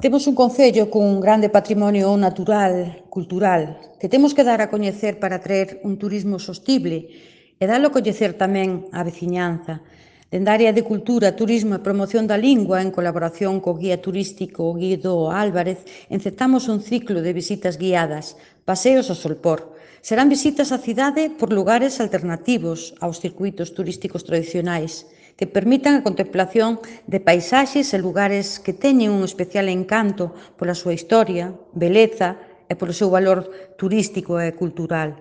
Temos un concello cun grande patrimonio natural, cultural, que temos que dar a coñecer para atraer un turismo sostible e dalo a coñecer tamén á veciñanza. Dende a área de Cultura, Turismo e Promoción da Lingua, en colaboración co guía turístico Guido Álvarez, enceptamos un ciclo de visitas guiadas, paseos ao Solpor. Serán visitas á cidade por lugares alternativos aos circuítos turísticos tradicionais, que permitan a contemplación de paisaxes e lugares que teñen un especial encanto pola súa historia, beleza e polo seu valor turístico e cultural.